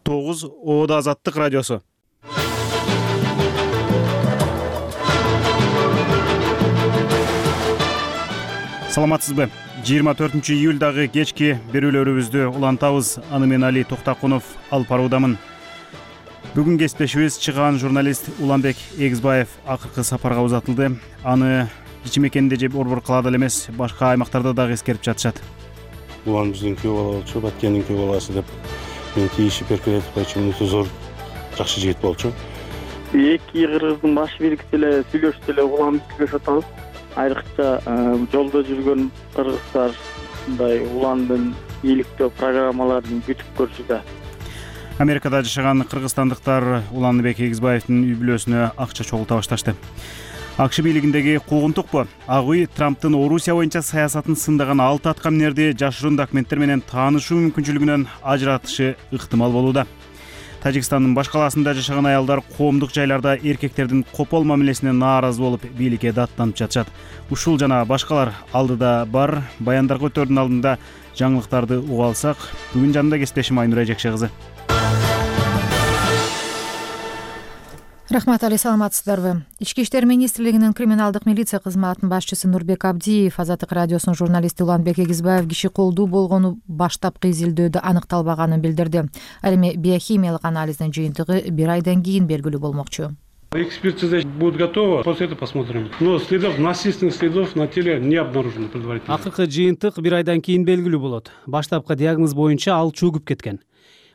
9 Оода Азаттык радиосу. Саламатсызбы? 24-июлдагы кечки берүүлөрүбүздү улантабыз. Аны мен Али Токтакунов алып баруудамын. Бүгүн кесиптешибиз чыгаан журналист Уланбек Эгизбаев акыркы сапарга узатылды. Аны кичи мекенинде же борбор калаада эле эмес, башка аймактарда дагы эскерип жатышат. Улан биздин күйөө бала болчу, Баткендин күйөө баласы деп мен тийишип эркелетип койчу. Өтө зор жакшы жигит болчу. Эки кыргыздын баш бийликчи эле сүйлөшүп эле улам сүйлөшүп атабыз. Айрыкча жолдо жүргөн кыргыздар мындай уландын ийгиликтөө программаларын күтүп көрчү. Америкада жашаган кыргызстандыктар Уланбек Эгизбаевдин үй бүлөсүнө акча чогулта башташты. АКШ бийлигиндеги куугунтукпу? Ак үй Трамптын Орусия боюнча саясатын сындаган 6 аткаминерди жашыруун документтер менен таанышуу мүмкүнчүлүгүнөн ажыратышы ыктымал болууда. Тажикстандын баш калаасында жашаган аялдар коомдук жайларда эркектердин копол мамилесине нааразы болуп, бийликке даттанып жатышат. Ушул жана башкалар алдыда бар. Баяндар көтөрдүн алдында жаңылыктарды уга алсак, бүгүн жанында кесиптешим Айнура Эжекше кызы. Рахмат, Али, саламатсыздарбы? Ички иштер министрлигинин криминалдык милиция кызматынын башчысы Нурбек Абдиев Азаттык радиосунун журналисти Уланбек Эгизбаев киши колдуу болгону баштапкы изилдөөдө аныкталбаганын билдирди. Ал эми биохимиялык анализдин жыйынтыгы 1 айдан кийин белгилүү болмокчу. Экспертиза будет готова, после этого посмотрим. Но следов, насильственных следов на теле не обнаружено предварительно. Акыркы жыйынтык 1 айдан кийин белгилүү болот. Баштапкы диагноз боюнча ал чөгүп кеткен.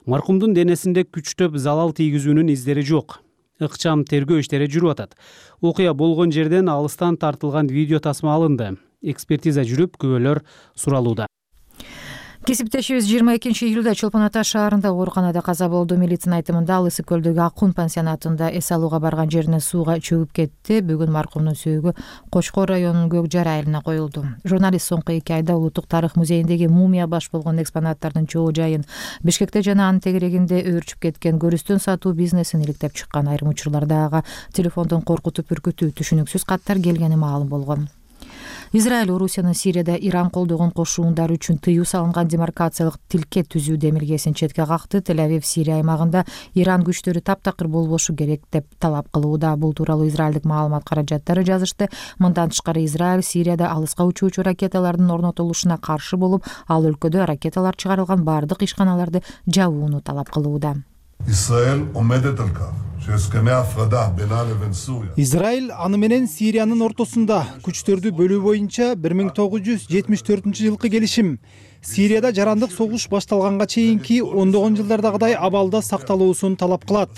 Маркумдун денесинде күчтөп залал тийгизүүнүн издери жок. Ыкчам тергөө иштери жүрүп атат. Окуя болгон жерден алыстан тартылган видео тасма алынды. Экспертиза жүрүп, күбөлөр суралууда. Кесиптешибиз 22-июлда Чолпон Ата шаарында ооруканада каза болду. Милициянын айтымында ал Ысык көлдөгү Акун пансионатында эс алууга барган жерине сууга чөгүп кетти. Бүгүн маркумдун сөөгү Кочкор районунун Көк Жар айылына коюлду. Журналист соңку 2 айда Улуттук тарых музейиндеги мумия баш болгон экспонаттардын чогуу жайын, Бишкекте жана анын тегерегинде өөрчүп кеткен көрүстөн сатуу бизнесин иликтеп чыккан. Айрым учурларда ага телефондон коркутуп үркүтүү, түшүнүксүз каттар келгени маалым болгон. Израиль Орусиянын Сирияда Иран колдогон кошуундары үчүн тыюу салынган демаркациялык тилке түзүү демилгесин четке какты. Тель-Авив Сирия аймагында Иран күчтөрү таптакыр болбошу керек деп талап кылууда. Бул тууралуу израилдик маалымат каражаттары жазышты. Мындан тышкары Израиль Сирияда алыска учуучу ракеталардын орнотулушуна каршы болуп, ал өлкөдө ракеталар чыгарылган бардык ишканаларды жабууну талап кылууда. Израиль аны менен Сириянын ортосунда күчтөрдү бөлүү боюнча 1974-жылкы келишим Сирияда жарандык согуш башталганга чейинки ондогон жылдардагыдай абалда сакталуусун талап кылат.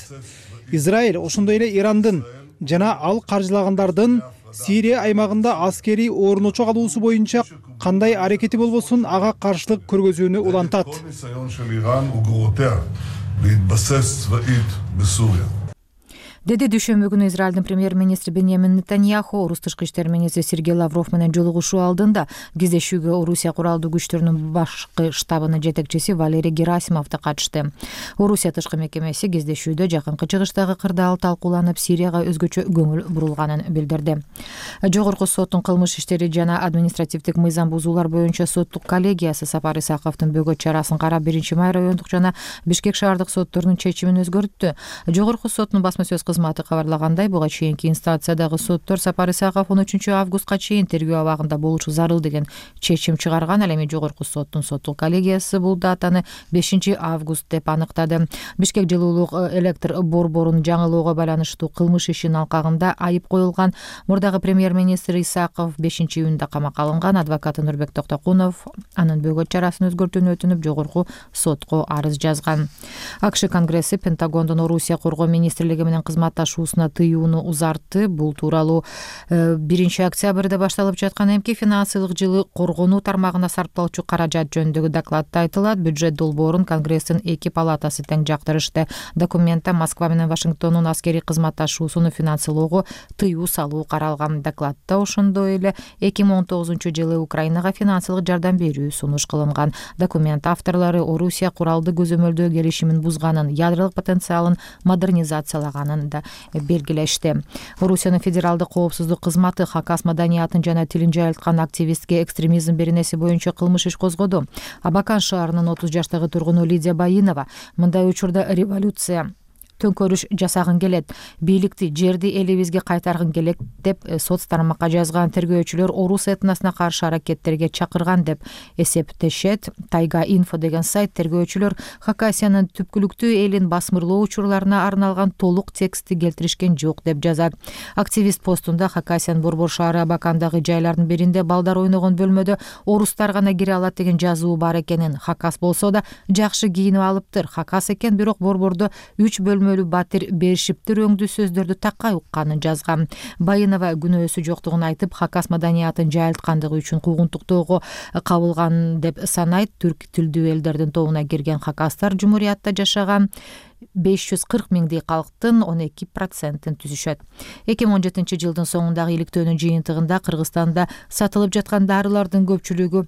Израиль ошондой эле Ирандын жана ал каржылагандардын Сирия аймагында аскерий орночок алуусу боюнча кандай аракети болбосун ага каршылык көргөзүүнү улантат. Деди дүйшөмбү күнү Израилдин премьер-министри Беньямин Нетаньяху орус тышкы иштер министри Сергей Лавров менен жолугушуу алдында кездешүүгө Орусия куралдуу күчтөрүнүн башкы штабынын жетекчиси Валерий Герасимов да катышты. Орусия тышкы мекемеси кездешүүдө жакынкы чыгыштагы кырдаал талкууланып, Сирияга өзгөчө көңүл бурулганын билдирди. Жогорку соттун кылмыш иштери жана административдик мыйзам бузуулар боюнча соттук коллегиясы Сапар Исаковдун бөгөт чарасын карап, 1-май райондук жана Бишкек шаардык сотторунун чечимин өзгөрттү. Жогорку соттун басма сөз кызматы кабарлагандай, буга чейинки инстанциядагы соттор Сапар Исаков 13 августка чейин тергөө абагында болушу зарыл деген чечим чыгарган. Ал эми жогорку соттун соттук коллегиясы бул датаны 5 август деп аныктады. Бишкек жылуулук электр борборун жаңылоого байланыштуу кылмыш ишинин алкагында айып коюлган мурдагы премьер-министр Исаков 5-июнда камакка алынган. Адвокаты Нурбек Токтакунов анын бөгөт чарасын өзгөртүүнү өтүнүп жогорку сотко арыз жазган. АКШ Конгресси Пентагондун Орусия коргоо министрлиги менен кызматташуусуна тыюуну узартты. Бул тууралуу 1-октябрда башталып жаткан эмки финансылык жылы коргонуу тармагына сарпталчу каражат жөнүндөгү докладта айтылат. Бюджет долбоорун Конгресстин 2 палатасы тең жактырышты. Документте Москва менен Вашингтондун аскерий кызматташуусуну финансылоого тыюу салуу каралган. Докладта ошондой эле 2019-жылы Украинага финансылык жардам берүү сунуш кылынган. Документ авторлору Орусия куралды көзөмөлдөө келишимин бузганын, ядролук потенциалын модернизациялаганын да белгилешти. Орусиянын федералдык коопсуздук кызматы Хакас маданиятын жана тилин жайылткан активистке экстремизм беренеси боюнча кылмыш иш козгоду. Абакан шаарынын 30 жаштагы тургуну Лидия Байынова мындай учурда революция төңкөрүш жасагын келет, бийликти, жерди элибизге кайтаргын келет деп соц тармакка жазган. Тергөөчүлөр орус этносуна каршы аракеттерге чакырган деп эсептешет. Тайга инфо деген сайт тергөөчүлөр Хакасиянын түпкүлүктүү элин басмырлоо учурларына арналган толук текстти келтиришкен жок деп жазат. Активист постунда Хакасиянын Борбор шаары Абакандагы жайлардын биринде балдар ойногон бөлмөдө орустар гана кире алат деген жазуу бар экенин, Хакас болсо да жакшы кийинип алыптыр, Хакас экен, бирок борбордо 3 бөлмөлүү батир беришиптир өңдүү сөздөрдү такай укканын жазган. Байынова күнөөсү жоктугун айтып, Хакас маданиятын жайылткандыгы үчүн куугунтуктоого кабылган деп санайт. Түрк тилдүү элдердин тобуна кирген хакастар жумуриятта жашаган 540 миңдей калктын 12%-ын түзүшөт. 2017 жылдын соңундагы иликтөөнүн жыйынтыгында Кыргызстанда сатылып жаткан дарылардын көпчүлүгү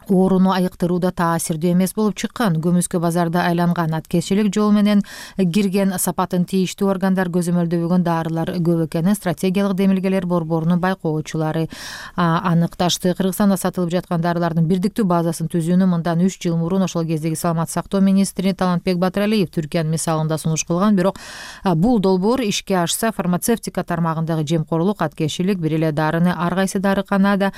ооруну айыктырууда таасирдүү эмес болуп чыккан. Көмүскө базарда айланган аткезчилик жол менен кирген сапатын тийиштүү органдар көзөмөлдөбөгөн дарылар көп экенин стратегиялык демилгелер борборунун байкоочулары аныкташты. Кыргызстанда сатылып жаткан дарылардын бирдиктүү базасын түзүүнү мындан 3 жыл мурун ошол кездеги саламат сактоо министри Талантбек Батыралиев Түркиянын мисалында сунуш кылган. Бирок бул долбоор ишке ашса, фармацевтика тармагындагы жемкорлук, аткезчилик, бир эле дарыны ар кайсы дарыкана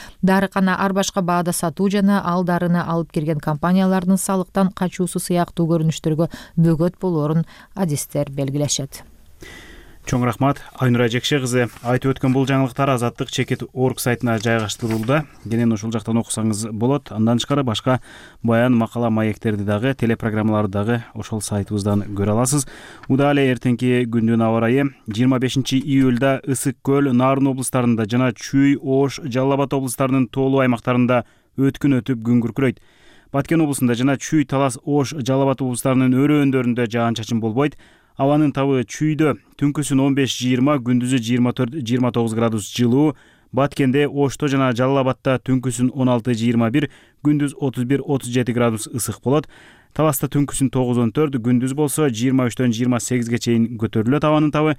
ар башка баада сатуу жана дарыны алып келген компаниялардын салыктан качуусу сыяктуу көрүнүштөргө бөгөт болоорун адистер белгилешет. Чоң рахмат Айнура Жекше кызы. Айтып өткөн бул жаңылыктар Азаттык.org сайтына жайгаштырылды. Кенен ушул жактан окусаңыз болот. Андан тышкары башка баян, макала, маектерди дагы, телепрограммаларды дагы ошол сайтыбыздан көрө аласыз. Удаалы эртеңки күндүн аба ырайы 25 июлда Ысык көл, Нарын облустарында жана Чүй, Ош, Жалал Абад облустарынын тоолуу аймактарында өткүн өтүп күн күркүрөйт. Баткен облусунда жана Чүй, Талас, Ош, Жалал Абад облустарынын өрөөндөрүндө жаан-чачын болбойт. Абанын табы Чүйдө түнкүсүн 15-20, күндүзү 24-29 градус жылуу. Баткенде, Ошто жана Жалал Абадта түнкүсүн 16-21, күндүз 31-37 градус ысык болот. Таласта түнкүсүн 9-14, күндүз болсо 23-28 чейин көтөрүлөт абанын табы.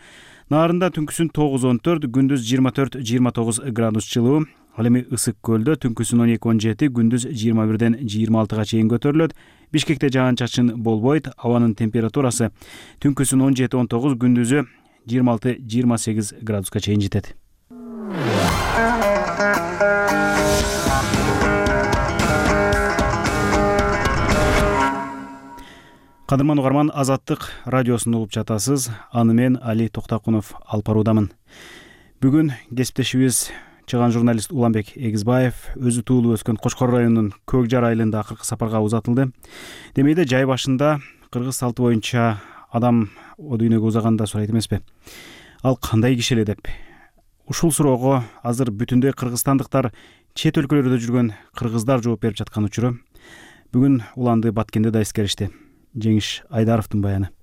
Нарында түнкүсүн 9-14, күндүз 24-29 градус жылуу. Ал эми Ысык көлдө түнкүсүн 12-17, күндүз 21-26 чейин көтөрүлөт. Бишкекте жаан-чачын болбойт. Абанын температурасы түнкүсүн 17-19, күндүзү 26-28 градуска чейин жетет. Кадырман угарман, Азаттык радиосун угуп жатасыз. Аны мен Али Токтакунов алып баруудамын. Бүгүн кесиптешибиз чыган журналист Уланбек Эгизбаев өзү туулуп өскөн Кочкор районунун Көк Жар айылында акыркы сапарга узатылды. Демейде жай башында кыргыз салты боюнча адам о дүйнөгө узаганда сурайт эмеспи? Ал кандай киши эле деп. Ушул суроого азыр бүтүндөй кыргызстандыктар, чет өлкөлөрдө жүргөн кыргыздар жооп берип жаткан учуру. Бүгүн уланды Баткенде да эскеришти. Жеңиш Айдаровдун баяны.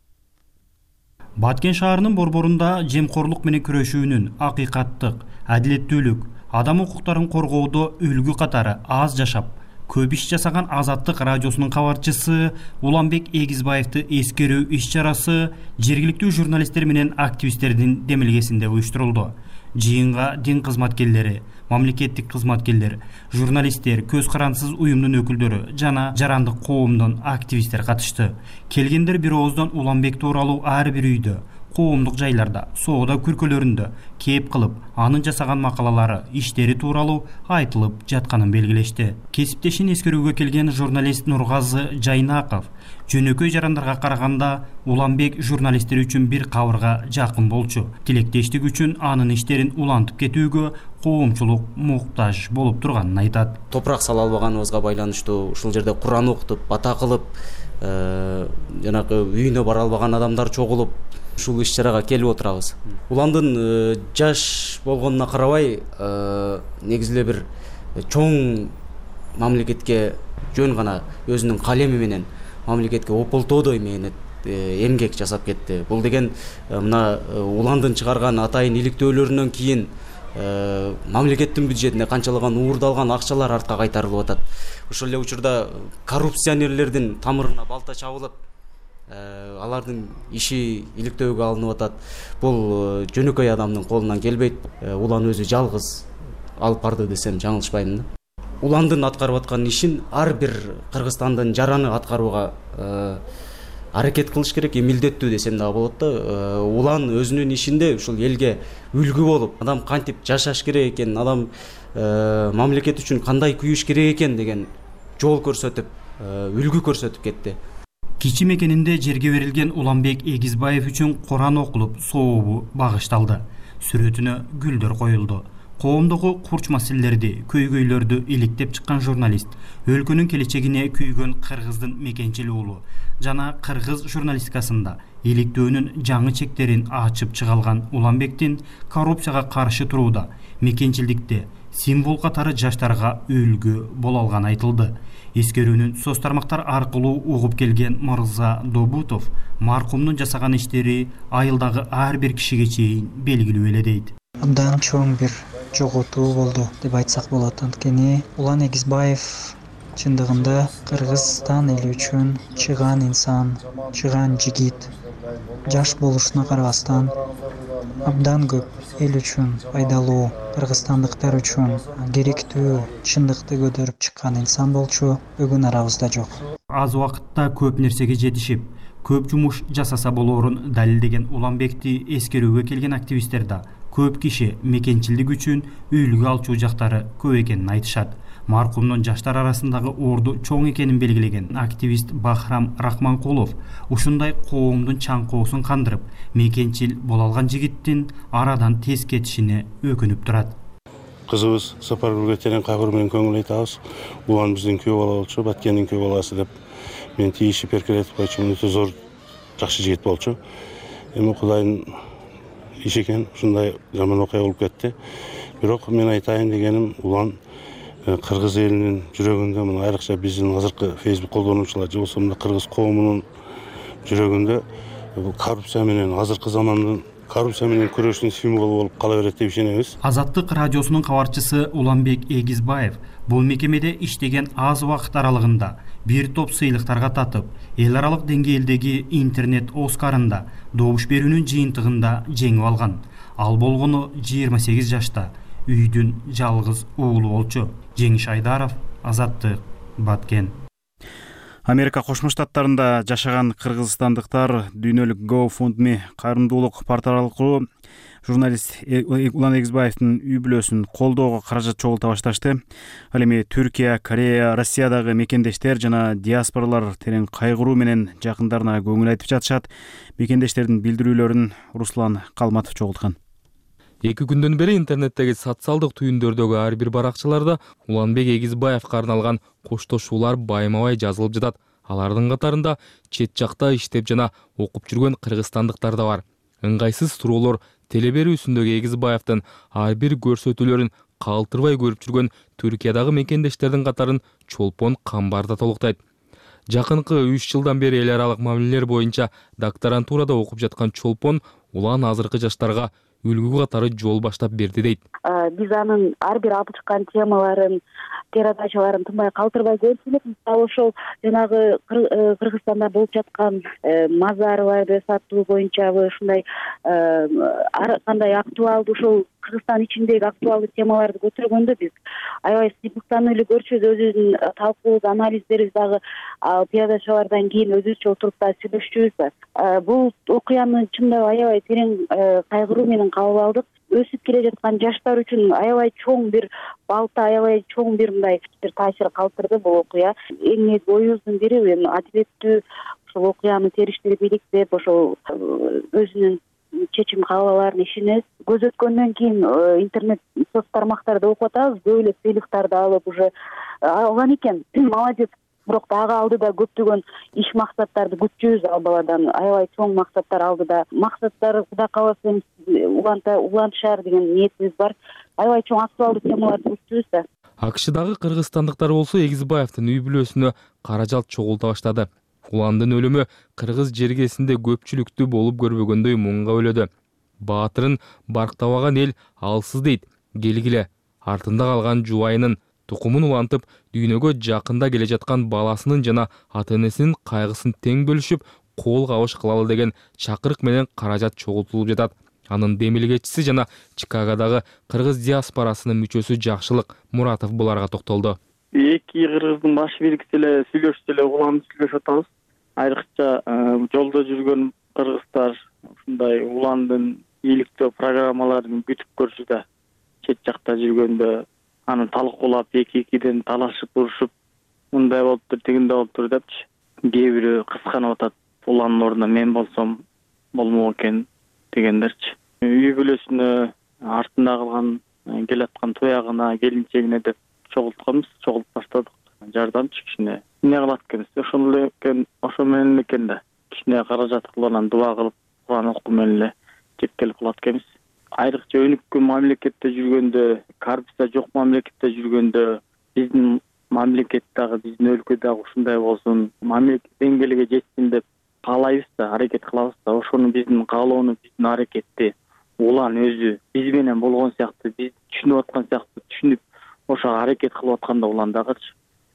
Баткен шаарынын борборунда жемкорлук менен күрөшүүнүн, акыйкаттык, адилеттүүлүк, адам укуктарын коргоодо үлгү катары аз жашап, көп иш жасаган Азаттык радиосунун кабарчысы Уланбек Эгизбаевди эскерүү иш-чарасы жергиликтүү журналисттер менен активисттердин демилгесинде уюштурулду. Жыйынга дин кызматкерлери, мамлекеттик кызматкерлер, журналисттер, көз карансыз уюмдун өкүлдөрү жана жарандык коомдун активисттер катышты. Келгендер бир ооздон Уланбек тууралуу ар бир үйдө, коомдук жайларда, соода күркөлөрүндө кеп кылып, анын жасаган макалалары, иштери тууралуу айтылып жатканын белгилешти. Кесиптешин эскерүүгө келген журналист Нургазы Жайнаков жөнөкөй жарандарга караганда Уланбек журналисттер үчүн бир кабырга жакын болчу. Тилектештик үчүн анын иштерин улантып кетүүгө коомчулук муктаж болуп турганын айтат. Топурак сала албаганыбызга байланыштуу ушул жерде Куран окутуп, бата кылып, жанагы үйүнө бара албаган адамдар чогулуп ушул иш-чарага келип отурабыз. Уландын жаш болгонуна карабай, негизи эле бир чоң мамлекетке жөн гана өзүнүн калеми менен мамлекетке ополтоодой менен эмгек жасап кетти. Бул деген мына Уландын чыгарган атайын иликтөөлөрүнөн кийин мамлекеттин бюджетине канчалаган уурдалган акчалар артка кайтарылып атат. Ошол эле учурда коррупционерлердин тамырына балта чабылып, Алардын иши иликтөөгө алынып атат. Бул жөнөкөй адамдын колунан келбейт. Улан өзү жалгыз алып барды десем жаңылышпаймын да. Уландын аткарып аткан ишин ар бир Кыргызстандын жараны аткарууга аракет кылыш керек, милдеттүү десем дагы болот да. Улан өзүнүн ишинде ушул элге үлгү болуп, адам кантип жашаш керек экен, адам мамлекет үчүн кандай күйүш керек экен деген жол көрсөтүп, үлгү көрсөтүп кетти. Кичи мекенинде жерге берилген Уланбек Эгизбаев үчүн Куран окулуп, сообу багышталды. Сүрөтүнө гүлдөр коюлду. Коомдогу курч маселелерди, көйгөйлөрдү иликтеп чыккан журналист өлкөнүн келечегине күйгөн кыргыздын мекенчил уулу жана кыргыз журналистикасында иликтөөнүн жаңы чектерин ачып чыга алган Уланбектин коррупцияга каршы турууда, мекенчилдикте символ катары жаштарга үлгү боло алганы айтылды. Эскерүүнүн соц тармактар аркылуу угуп келген Мырза Добутов маркумдун жасаган иштери айылдагы ар бир кишиге чейин белгилүү эле дейт. Абдан чоң бир жоготуу болду деп айтсак болот. Анткени Улан Эгизбаев чындыгында Кыргызстан эли үчүн чыган инсан, чыган жигит. Жаш болушуна карабастан абдан көп эл үчүн пайдалуу, кыргызстандыктар үчүн керектүү чындыкты көтөрүп чыккан инсан болчу. Бүгүн арабызда жок. Аз убакытта көп нерсеге жетишип, көп жумуш жасаса болоорун далилдеген Уланбекти эскерүүгө келген активисттер да көп киши мекенчилдик үчүн үлгү алчу жактары көп экенин айтышат. Маркумдун жаштар арасындагы орду чоң экенин белгилеген активист Бахрам Рахманкулов ушундай коомдун чаңкоосун кандырып, мекенчил боло алган жигиттин арадан тез кетишине өкүнүп турат. Кызыбыз Сапаргүлгө терең кайгыруу менен көңүл айтабыз. Улан биздин күйөө бала болчу, Баткендин күйөө баласы деп мен тийишип эркелетип койчумун. Өтө зор жакшы жигит болчу. Эми Кудайдын иши экен, ушундай жаман окуя болуп кетти. Бирок мен айтайын дегеним, Улан кыргыз элинин жүрөгүндө, мына айрыкча биздин азыркы Facebook колдонуучулар же болбосо кыргыз коомунун жүрөгүндө коррупция менен, азыркы замандын коррупция менен күрөштүн символу болуп кала берет деп ишенебиз. Азаттык радиосунун кабарчысы Уланбек Эгизбаев бул мекемеде иштеген аз убакыт аралыгында бир топ сыйлыктарга татып, эл аралык деңгээлдеги интернет Оскарында добуш берүүнүн жыйынтыгында жеңип алган. Ал болгону 28 жашта, үйдүн жалгыз уулу болчу. Жеңиш Айдаров, Азаттык, Баткен. Америка Кошмо Штаттарында жашаган кыргызстандыктар дүйнөлүк GoFundMe кайрымдуулук порталы аркылуу журналист Улан Эгизбаевдин үй бүлөсүн колдоого каражат чогулта башташты. Ал эми Түркия, Корея, Россиядагы мекендештер жана диаспоралар терең кайгыруу менен жакындарына көңүл айтып жатышат. Мекендештердин билдирүүлөрүн Руслан Калматов чогулткан. 2 күндөн бери интернеттеги социалдык түйүндөрдөгү ар бир баракчаларда Уланбек Эгизбаевга арналган коштошуулар байма-бай жазылып жатат. Алардын катарында чет жакта иштеп жана окуп жүргөн кыргызстандыктар да бар. Ыңгайсыз суроолор теле берүүсүндөгү Эгизбаевдин ар бир көрсөтүүлөрүн калтырбай көрүп жүргөн Түркиядагы мекендештердин катарын Чолпон Камбар да толуктайт. Жакынкы 3 жылдан бери эл аралык мамилелер боюнча докторантурада окуп жаткан Чолпон Улан азыркы жаштарга үлгү катары жол баштап берди дейт. Биз анын ар бир алып чыккан темаларын, передачаларын тынбай калтырбай көрүп келебиз. Ошол жанагы Кыргызстанда болуп жаткан мазарларды сатуу боюнчабы ушундай ар кандай актуалдуу ошол Кыргызстан ичиндеги актуалдуу темаларды көтөргөндө биз аябай сыймыктанып эле көрчүбүз. Өзүбүздүн талкуубуз, анализдерибиз дагы передачалардан кийин өзүбүзчө отуруп да сүйлөшчүбүз. Бул окуяны чындап аябай терең кайгыруу менен кабыл алдык. Өсүп келе жаткан жаштар үчүн аябай чоң бир балта, аябай чоң бир мындай бир таасир калтырды бул окуя. Эң негизи оюбуздун бири адилеттүү ошол окуяны териштирип иликтеп, ошол өзүнүн чечим кабыл алаарын ишенебиз. Көз өткөндөн кийин интернет соц тармактарда окуп атабыз, көп эле сыйлыктарды алып уже алган экен. Молодец. Бирок дагы алдыда көптөгөн иш максаттарды күтчүбүз ал баладан. Аябай чоң максаттар алдыда. Максаттар Кудай кааласа улантышар деген ниетибиз бар. Аябай чоң актуалдуу темаларды күтчүбүз да. АКШдагы кыргызстандыктар болсо Эгизбаевдин үй бүлөсүнө каражат чогулта баштады. Уландын өлүмү кыргыз жергесинде көпчүлүктүү болуп көрбөгөндөй муңга бөлөдү. Баатырын барктабаган эл алсыз дейт. Келгиле, артында калган жубайынын тукумун улантып, дүйнөгө жакында келе жаткан баласынын жана ата-энесинин кайгысын тең бөлүшүп, кол кабыш кылалы деген чакырык менен каражат чогултулуп жатат. Анын демилгечиси жана Чикагодагы кыргыз диаспорасынын мүчөсү Жакшылык Муратов буларга токтолду. Эки кыргыздын баш бийликчиси эле сүйлөшүп эле улам сүйлөшүп атабыз. Айрыкча жолдо жүргөн кыргыздар ушундай уландын ийгиликтүү программаларын күтүп көрчү, чет жакта жүргөндө аны талкуулап эки-экиден талашып урушуп, мындай болуптур, тигиндей болуптур депчи. Кээ бири кысканып атат. Уландын ордуна мен болсом болмок экен дегендерчи. Үй бүлөсүнө, артында калган келаткан туягына, келинчегине деп чогултуп баштадык. Жардамчы кичине. Эмне кылат экенбиз? Ошо менен экен да. Кичине каражат кылып, анан дуа кылып, Куран окуу менен эле жеткелип кылат экенбиз. Айрыкча өнүккөн мамлекетте жүргөндө, коррупция жок мамлекетте жүргөндө, биздин мамлекет дагы, биздин өлкө дагы ушундай болсун, мамлекет деңгээлиге жетсин деп каалайбыз да, аракет кылабыз да. Ошону биздин каалоону, биздин аракетти улан өзү биз менен болгон сыяктуу, биз түшүнүп аткан сыяктуу түшүнүп, ошого аракет кылып атканда улан дагычы.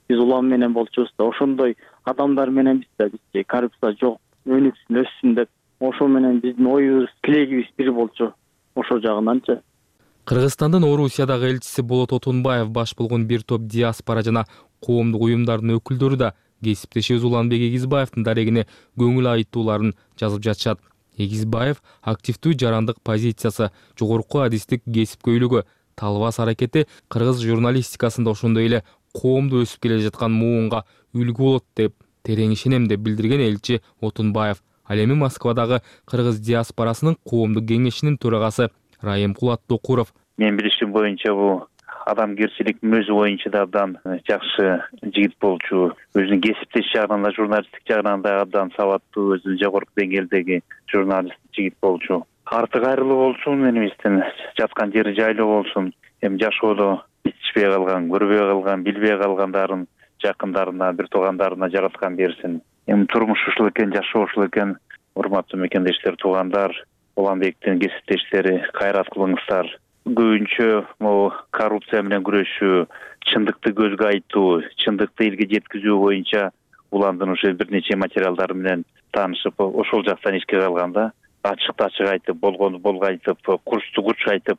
Биз улан менен болчубуз да, ошондой адамдар менен биз да, бизчи коррупция жок, өнүксүн, өссүн деп, ошо менен биздин оюбуз, тилегибиз бир болчу. Ошо жагынанчы. Кыргызстандын Орусиядагы элчиси Болот Отунбаев баш болгон бир топ диаспора жана коомдук уюмдардын өкүлдөрү да кесиптешибиз Уланбек Эгизбаевдин дарегине көңүл айтууларын жазып жатышат. Эгизбаев активдүү жарандык позициясы, жогорку адистик кесипкөйлүгү, талбас аракети кыргыз журналистикасында ошондой эле коомду өсүп келе жаткан муунга үлгү болот деп терең ишенем деп билдирген элчи Отунбаев. Ал эми Москвадагы кыргыз диаспорасынын коомдук кеңешинин төрагасы Раимкул Аттокуров. Мен билишим боюнча бул адамгерчилик мүнөзү боюнча да абдан жакшы жигит болчу. Өзүнүн кесиптеш жагынан да, журналисттик жагынан да абдан сабаттуу, өзүнүн жогорку деңгээлдеги журналист жигит болчу. Арты кайрылуу болсун, менибиздин жаткан жери жайлуу болсун. Эми жашоодо ичпей калган, көрбөй калган, билбей калгандарын жакындарына, бир туугандарына жараткан берсин. Эми турмуш ушул экен, жашоо ушул экен. Урматтуу мекендештер, туугандар, Уланбектин кесиптештери, кайрат кылыңыздар. Көбүнчө могу коррупция менен күрөшүү, чындыкты көзгө айтуу, чындыкты элге жеткизүү боюнча Уландын ошо бир нече материалдары менен таанышып, ошол жактан ишке алганда ачыкты ачык айтып, болгонду болго айтып, курчту курч айтып,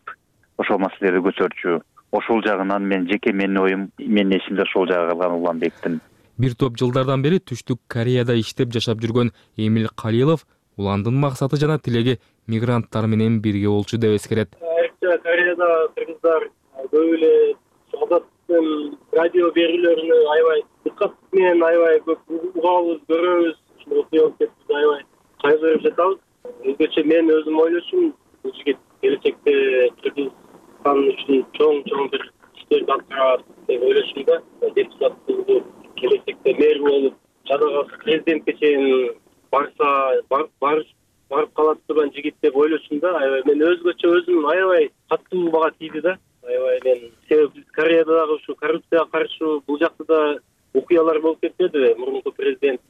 ошол маселелерди көтөрчү. Ошол жагынан менин оюм, менин эсимде ошол жагы калган Уланбектин. Бир топ жылдардан бери Түштүк Кореяда иштеп жашап жүргөн Эмил Калилов Уландын максаты жана тилеги мигранттар менен бирге болчу деп эскерет. Айрыкча Кореяда кыргыздар көп эле Азаттын радио берүүлөрүнө аябай дыккат менен аябай көп угабыз, көрөбүз. Ушул окуяларды аябай кайгырып жатабыз. Өзгөчө мен өзүм ойлошум, бул жигит келечекте Кыргызстан үчүн чоң бир иштерди алып барат деп ойлошум да. Депутат болуп, келечекте мэр болуп, жана президентке чейин барып калат турган жигит деп ойлошум да. Аябай мен өзүм аябай катуу бага тийди да. Аябай мен себеби биз Кореяда дагы ушу коррупцияга каршы бул жакта да окуялар болуп кетпедиби? Мурунку президент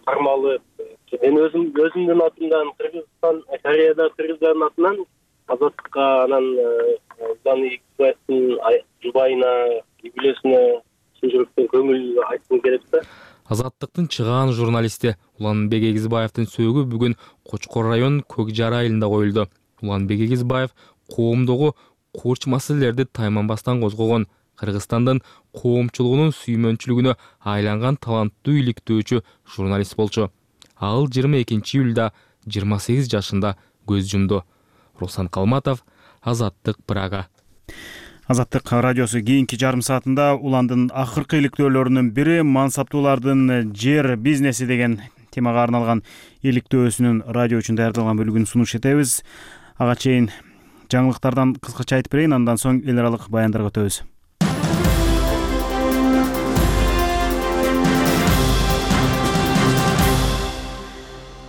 кармалып, мен өзүмдүн атымдан Кореяда кыргыздардын атынан Азаттыкка, анан Уланбек Эгизбаевдин жубайына, үй бүлөсүнө чын жүрөктөн көңүл айткым келет да. Азаттыктын чыгаан журналисти Уланбек Эгизбаевдин сөөгү бүгүн Кочкор район Көкжар айылында коюлду. Уланбек Эгизбаев коомдогу курч маселелерди тайманбастан козгогон, Кыргызстандын коомчулугунун сүймөнчүлүгүнө айланган таланттуу иликтөөчү журналист болчу. Ал 22-июлда 28 жашында көз жумду. Руслан Калматов, Азаттык, Прага. Азаттык радиосу кийинки жарым саатында Уландын акыркы иликтөөлөрүнүн бири мансаптуулардын жер бизнеси деген темага арналган иликтөөсүнүн радио үчүн даярдалган бөлүгүн сунуш этебиз. Ага чейин жаңылыктардан кыскача айтып берейин, андан соң эл аралык баяндарга өтөбүз.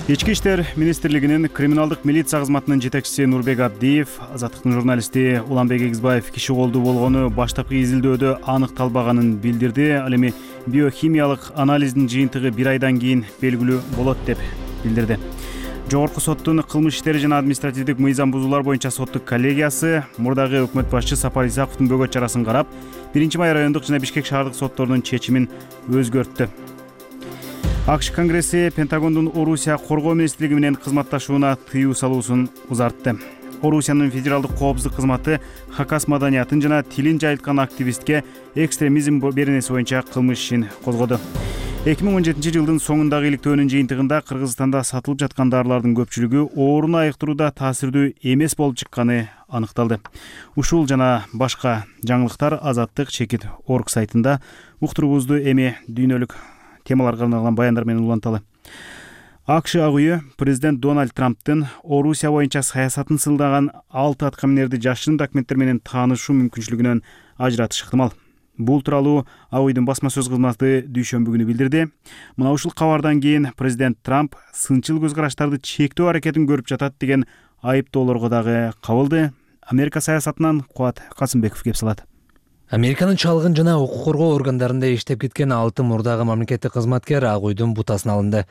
Ички иштер министрлигинин криминалдык милиция кызматынын жетекчиси Нурбек Абдиев Азаттыктын журналисти Уланбек Эгизбаев киши колдуу болгону баштапкы изилдөөдө аныкталбаганын билдирди. Ал эми биохимиялык анализдин жыйынтыгы 1 айдан кийин белгилүү болот деп билдирди. Жогорку соттун кылмыш иштери жана административдик мыйзам бузуулар боюнча соттук коллегиясы мурдагы өкмөт башчы Сапар Исаковдун бөгөт чарасын карап, 1-Май райондук жана Бишкек шаардык сотторунун чечимин өзгөрттү. АКШ Конгресси Пентагондун Орусия коргоо министрлиги менен кызматташууна тыюу салуусун узартты. Орусиянын федералдык коопсуздук кызматы хакас маданиятын жана тилин жайылткан активистке экстремизм беренеси боюнча кылмыш ишин козгоду. 2017 жылдын соңундагы иликтөөнүн жыйынтыгында Кыргызстанда сатылып жаткан дарылардын көпчүлүгү ооруну айыктырууда таасирдүү эмес болуп чыкканы аныкталды. Ушул жана башка жаңылыктар Азаттык чекит орг сайтында. Уктуруубузду эми дүйнөлүк темаларга арналган баяндар менен уланталы. АКШ ак үйү президент Дональд Трамптын Орусия боюнча саясатын сылдаган 6 аткаминерди жашырын документтер менен таанышуу мүмкүнчүлүгүнөн ажыратыш ыктымал. Бул тууралуу ак үйдүн басма сөз кызматы дүйшөмбү күнү билдирди. Мына ушул кабардан кийин президент Трамп сынчыл көз караштарды чектөө аракетин көрүп жатат деген айыптоолорго дагы кабылды. Америка саясатынан Кубат Касымбеков кеп салат. Американын чалгын жана укук коргоо органдарында иштеп кеткен 6 мурдагы мамлекеттик кызматкер ак үйдүн бутасына алынды.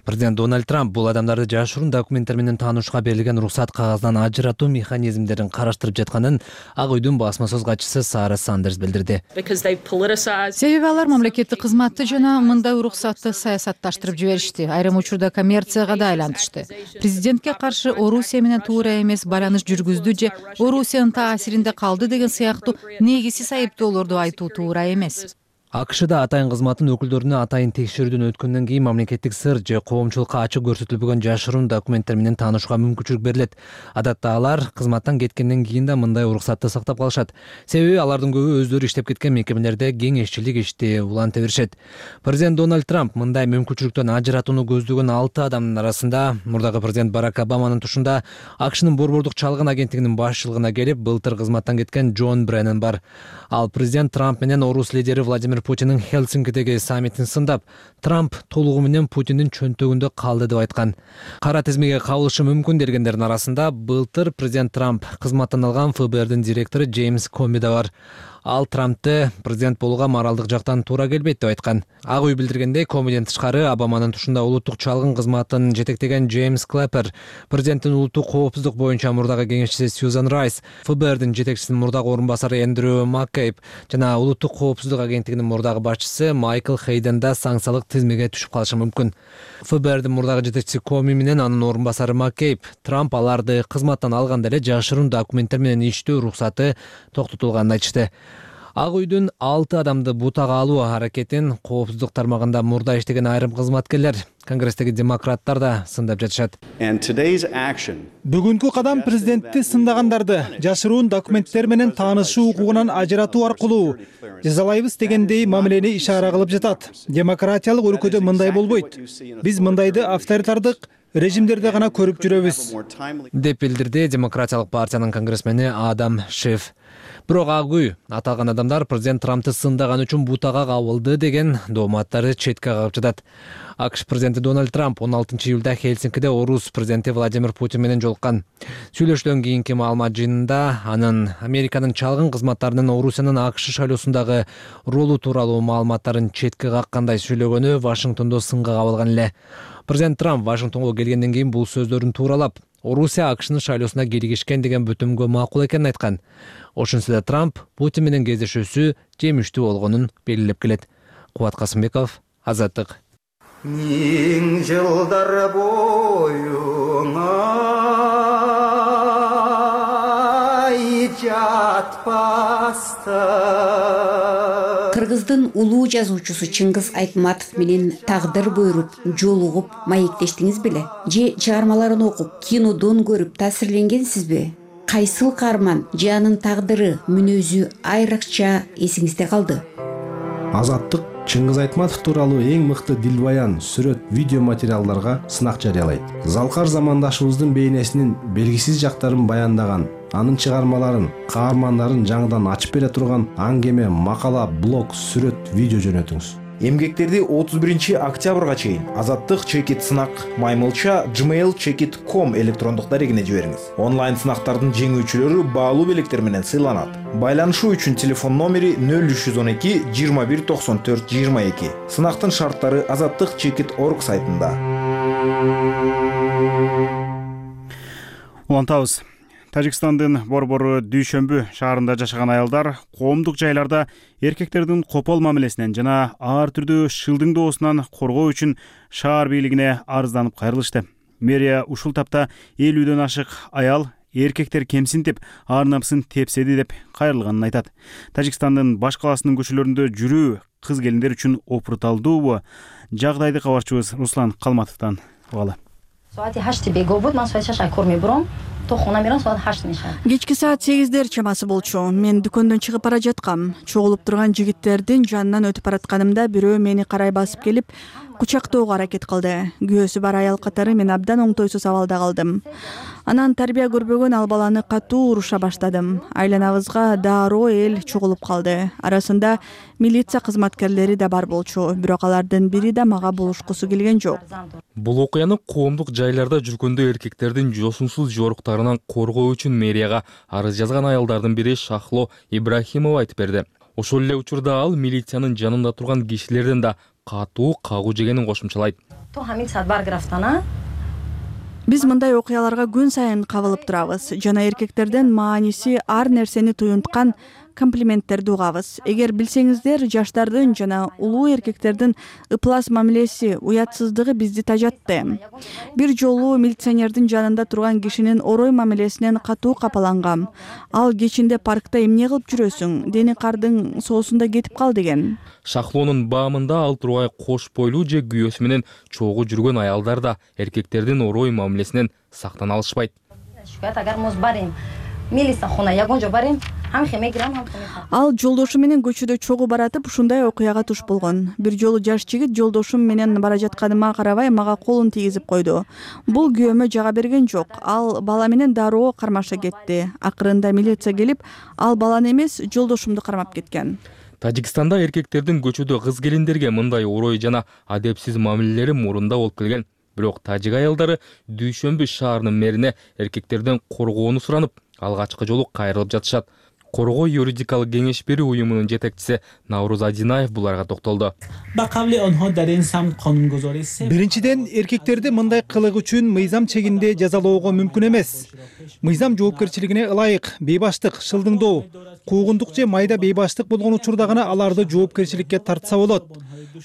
Президент Дональд Трамп бул адамдарды жашыруун документтер менен таанышууга берилген уруксат кагазынан ажыратуу механизмдерин караштырып жатканын ак үйдүн басма сөз катчысы Сара Сандерс билдирди. Себеби алар мамлекеттик кызматты жана мындай уруксатты саясатташтырып жиберишти. Айрым учурда коммерцияга да айлантышты. Президентке каршы Орусия менен туура эмес байланыш жүргүздү же Орусиянын таасиринде калды деген сыяктуу негизсиз айыптоолорду айтуу туура эмес. АКШда атайын кызматтын өкүлдөрүнө атайын текшерүүдөн өткөндөн кийин мамлекеттик сыр же коомчулукка ачык көрсөтүлбөгөн жашыруун документтер менен таанышууга мүмкүнчүлүк берилет. Адатта алар кызматтан кеткенден кийин да мындай уруксатты сактап калышат. Себеби алардын көбү өздөрү иштеп кеткен мекемелерде кеңешчилик ишти уланта беришет. Президент Дональд Трамп мындай мүмкүнчүлүктөн ажыратууну көздөгөн 6 адамдын арасында мурдагы президент Барак Обаманын тушунда АКШнын борбордук чалгын агенттигинин башчылыгына келип былтыр кызматтан кеткен Джон Бреннан бар. Ал президент Трамп менен орус лидери Владимир Путиндин Хелсинкидеги саммитин сындап, Трамп толугу менен Путиндин чөнтөгүндө калды деп айткан. Кара тизмеге кабылышы мүмкүн дегендердин арасында былтыр президент Трамп кызматтан алган ФБРдин директору Джеймс Коми да бар. Ал Трампты президент болууга моралдык жактан туура келбейт деп айткан. Ак үй билдиргендей, Комиден тышкары Обаманын тушунда улуттук чалгын кызматын жетектеген Джеймс Клэппер, президенттин улуттук коопсуздук боюнча мурдагы кеңешчиси Сьюзан Райс, ФБРдин жетекчисинин мурдагы орун басары Эндрю Маккейб жана улуттук коопсуздук агенттигинин мурдагы башчысы Майкл Хейден да санкциялык тизмеге түшүп калышы мүмкүн. ФБРдин мурдагы жетекчиси Коми менен анын орун басары Маккейб Трамп аларды кызматтан алганда эле жашыруун документтер менен иштөө уруксаты токтотулганын айтышты. Ак үйдүн 6 адамды бутага алуу аракетин коопсуздук тармагында мурда иштеген айрым кызматкерлер, Конгресстеги демократтар да сындап жатышат. Бүгүнкү кадам президентти сындагандарды жашыруун документтер менен таанышуу укугунан ажыратуу аркылуу жазалайбыз дегендей мамилени ишара кылып жатат. Демократиялык өлкөдө мындай болбойт. Биз мындайды авторитардык режимдерде гана көрүп жүрөбүз, деп билдирди Демократиялык партиянын конгрессмени Адам Шиф. Бирок ак үй аталган адамдар президент Трампты сындаган үчүн бутага кабылды деген дооматтарды четке кагып жатат. АКШ президенти Дональд Трамп 16-июлда Хелсинкиде орус президенти Владимир Путин менен жолуккан. Сүйлөшүүдөн кийинки маалымат жыйынында анын Американын чалгын кызматтарынын Орусиянын АКШ шайлоосундагы ролу тууралуу маалыматтарын четке каккандай сүйлөгөнү Вашингтондо сынга кабылган эле. Президент Трамп Вашингтонго келгенден кийин бул сөздөрүн тууралап, Орусия АКШнын шайлоосуна киргишкен деген бүтүмгө макул экенин айткан. Ошентсе да Трамп Путин менен кездешүүсү жемиштүү болгонун белгилеп келет. Кубат Касымбеков, Азаттык. Миң жылдар боюңа жатпаста. Кыргыздын улуу жазуучусу Чыңгыз Айтматов менен тагдыр буйруп, жолугуп, маектештиңиз беле? Же чыгармаларын окуп, кинодон көрүп таасирленгенсизби? Кайсыл каарман же анын тагдыры, мүнөзү айрыкча эсиңизде калды? Азаттык Чыңгыз Айтматов тууралуу эң мыкты дилбаян, сүрөт, видео материалдарга сынак жарыялайт. Залкар замандашыбыздын бейнесинин белгисиз жактарын баяндаган, анын чыгармаларын, каармандарын жаңыдан ачып бере турган аңгеме, макала, блог, сүрөт, видео жөнөтүңүз. Эмгектерди 31-октябрга чейин Азаттык чекит сынак маймылча gmail.com электрондук дарегине жибериңиз. Онлайн сынактардын жеңүүчүлөрү баалуу белектер менен сыйланат. Байланышуу үчүн телефон номери 0312 21 94 22. Сынактын шарттары Азаттык чекит орг сайтында. Улантабыз. Тажикстандын борбору Дүйшөмбү шаарында жашаган аялдар коомдук жайларда эркектердин копол мамилесинен жана ар түрдүү шылдың доосунан коргоо үчүн шаар бийлигине арызданып кайрылышты. Мэрия ушул тапта 50дөн ашык аял эркектер кемсинтип, ар намысын тепседи деп кайрылганын айтат. Тажикстандын баш каласынын көчөлөрүндө жүрүү кыз келиндер үчүн опурталдуубу? Жагдайды кабарчыбыз Руслан Калматовдон угалы. Кечки саат 8 чамасы болчу. Мен дүкөндөн чыгып бара жаткам. Чогулуп турган жигиттердин жанынан өтүп баратканымда бирөө мени карай басып келип, кучактоого аракет кылды. Күйөөсү бар аял катары мен абдан оңтойсуз абалда калдым. Анан тарбия көрбөгөн ал баланы катуу уруша баштадым. Айланабызга дароо эл чогулуп калды. Арасында милиция кызматкерлери да бар болчу, бирок алардын бири да мага булушкусу келген жок. Бул окуяны коомдук жайларда жүргөндө эркектердин жосунсуз жоруктарынан коргоо үчүн мэрияга арыз жазган аялдардын бири Шахло Ибрахимова айтып берди. Ошол эле учурда ал милициянын жанында турган кишилерден да катуу кагуу жегенин кошумчалайт. Биз мындай окуяларга күн сайын кабылып турабыз. Жана эркектерден мааниси ар нерсени туюнткан комплименттерди угабыз. Эгер билсеңиздер, жаштардын жана улуу эркектердин ыплас мамилеси, уятсыздыгы бизди тажатты. Бир жолу милиционердин жанында турган кишинин орой мамилесинен катуу капалангам. Ал кечинде паркта эмне кылып жүрөсүң? Дени кардын соосунда кетип кал деген. Шахлонун баамында ал тургай кош бойлуу же күйөөсү менен чогуу жүргөн аялдар да эркектердин орой мамилесинен сактана алышпайт. Ал жолдошу менен көчөдө чогуу баратып, ушундай окуяга туш болгон. Бир жолу жаш жигит жолдошум менен бара жатканыма карабай мага колун тийгизип койду. Бул күйөөмө жага берген жок. Ал бала менен дароо кармаша кетти. Акырында милиция келип, ал баланы эмес, жолдошумду кармап кеткен. Тажикстанда эркектердин көчөдө кыз келиндерге мындай орой жана адепсиз мамилелери мурунда болуп келген. Бирок тажик аялдары Дүйшөмбү шаарынын мэрине эркектерден коргоону суранып, алгачкы жолу кайрылып жатышат. Коргоо юридикалык кеңеш берүү уюмунун жетекчиси Навруз Адинаев буларга токтолду. Биринчиден, эркектерди мындай кылык үчүн мыйзам чегинде жазалоого мүмкүн эмес. Мыйзам жоопкерчилигине ылайык бейбаштык, шылдыңдоо, куугундук же майда бейбаштык болгон учурда гана аларды жоопкерчиликке тартса болот.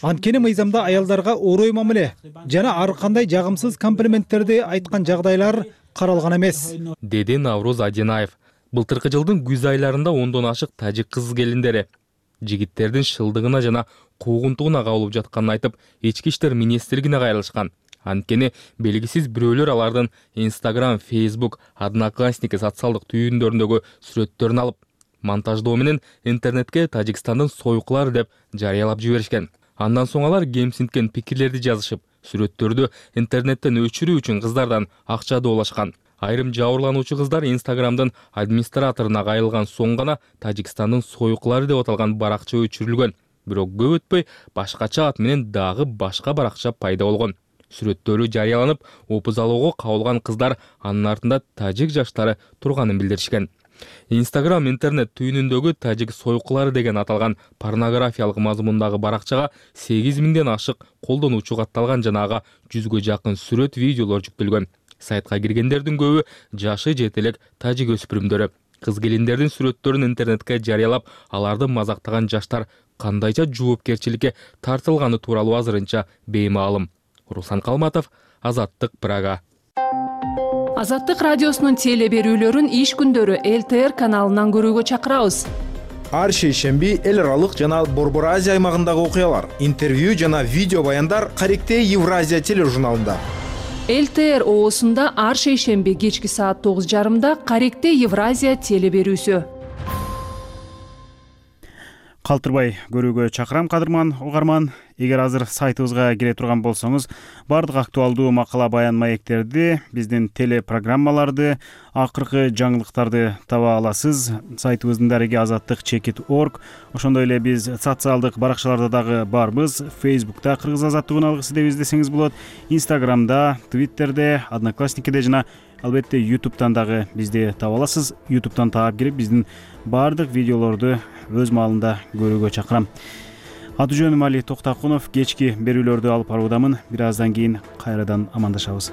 Анткени мыйзамда аялдарга орой мамиле жана ар кандай жагымсыз комплименттерди айткан жагдайлар каралган эмес, деди Навруз Адинаев. Былтыркы жылдын күз айларында 10дон ашык тажик кыз келиндери жигиттердин шылдыгына жана куугунтугуна кабылып жатканын айтып, ички иштер министрлигине кайрылышкан. Анткени белгисиз бирөөлөр алардын Instagram, Facebook, Одноклассники социалдык түйүндөрүндөгү сүрөттөрүн алып, монтаждоо менен интернетке Тажикстандын сойкулары деп жарыялап жиберишкен. Андан соң алар кемсинткен пикирлерди жазышып, сүрөттөрдү интернеттен өчүрүү үчүн кыздардан акча доолашкан. Айрым жабырлануучу кыздар Инстаграмдын администраторуна кайрылган соң гана Тажикстандын сойкулары деп аталган баракча өчүрүлгөн. Бирок көп өтпөй башкача ат менен дагы башка баракча пайда болгон. Сүрөттөрү жарыяланып, опузалоого кабылган кыздар анын артында тажик жаштары турганын билдиришкен. Instagram интернет түйүнүндөгү тажик сойкулары деген аталган порнографиялык мазмундагы баракчага 8000ден ашык колдонуучу катталган жана ага 100гө жакын сүрөт, видеолор жүктөлгөн. Сайтка киргендердин көбү жашы жете элек тажик өспүрүмдөрү. Кыз келиндердин сүрөттөрүн интернетке жарыялап, аларды мазактаган жаштар кандайча жоопкерчиликке тартылганы тууралуу азырынча беймаалым. Руслан Калматов, Азаттык, Прага. Азаттык радиосунун теле берүүлөрүн иш күндөрү ЛТР каналынан көрүүгө чакырабыз. Ар шейшемби эл аралык жана Борбор Азия аймагындагы окуялар, интервью жана видео баяндар Каректе Евразия тележурналында. ЛТР оосунда ар шейшемби кечки саат 9:30 Каректе Евразия теле берүүсү. Калтырбай көрүүгө чакырам, кадырман угарман. Эгер азыр сайтыбызга кире турган болсоңуз, бардык актуалдуу макала баян маектерди, биздин телепрограммаларды, акыркы жаңылыктарды таба аласыз. Сайтыбыздын дареги azattik.org. Ошондой эле биз социалдык баракчаларда дагы барбыз. Facebook'та Кыргыз азаттыгын алгысы деп издесеңиз болот. Instagram'да, Twitter'де, Одноклассникиде жана албетте YouTube'тан дагы бизди таба аласыз. YouTube'тан таап кирип биздин бардык видеолорду өз маалында көрүүгө чакырам. Аты жөнүм Али Токтакунов. Кечки берүүлөрдү алып баруудамын. Бир аздан кийин кайрадан амандашабыз.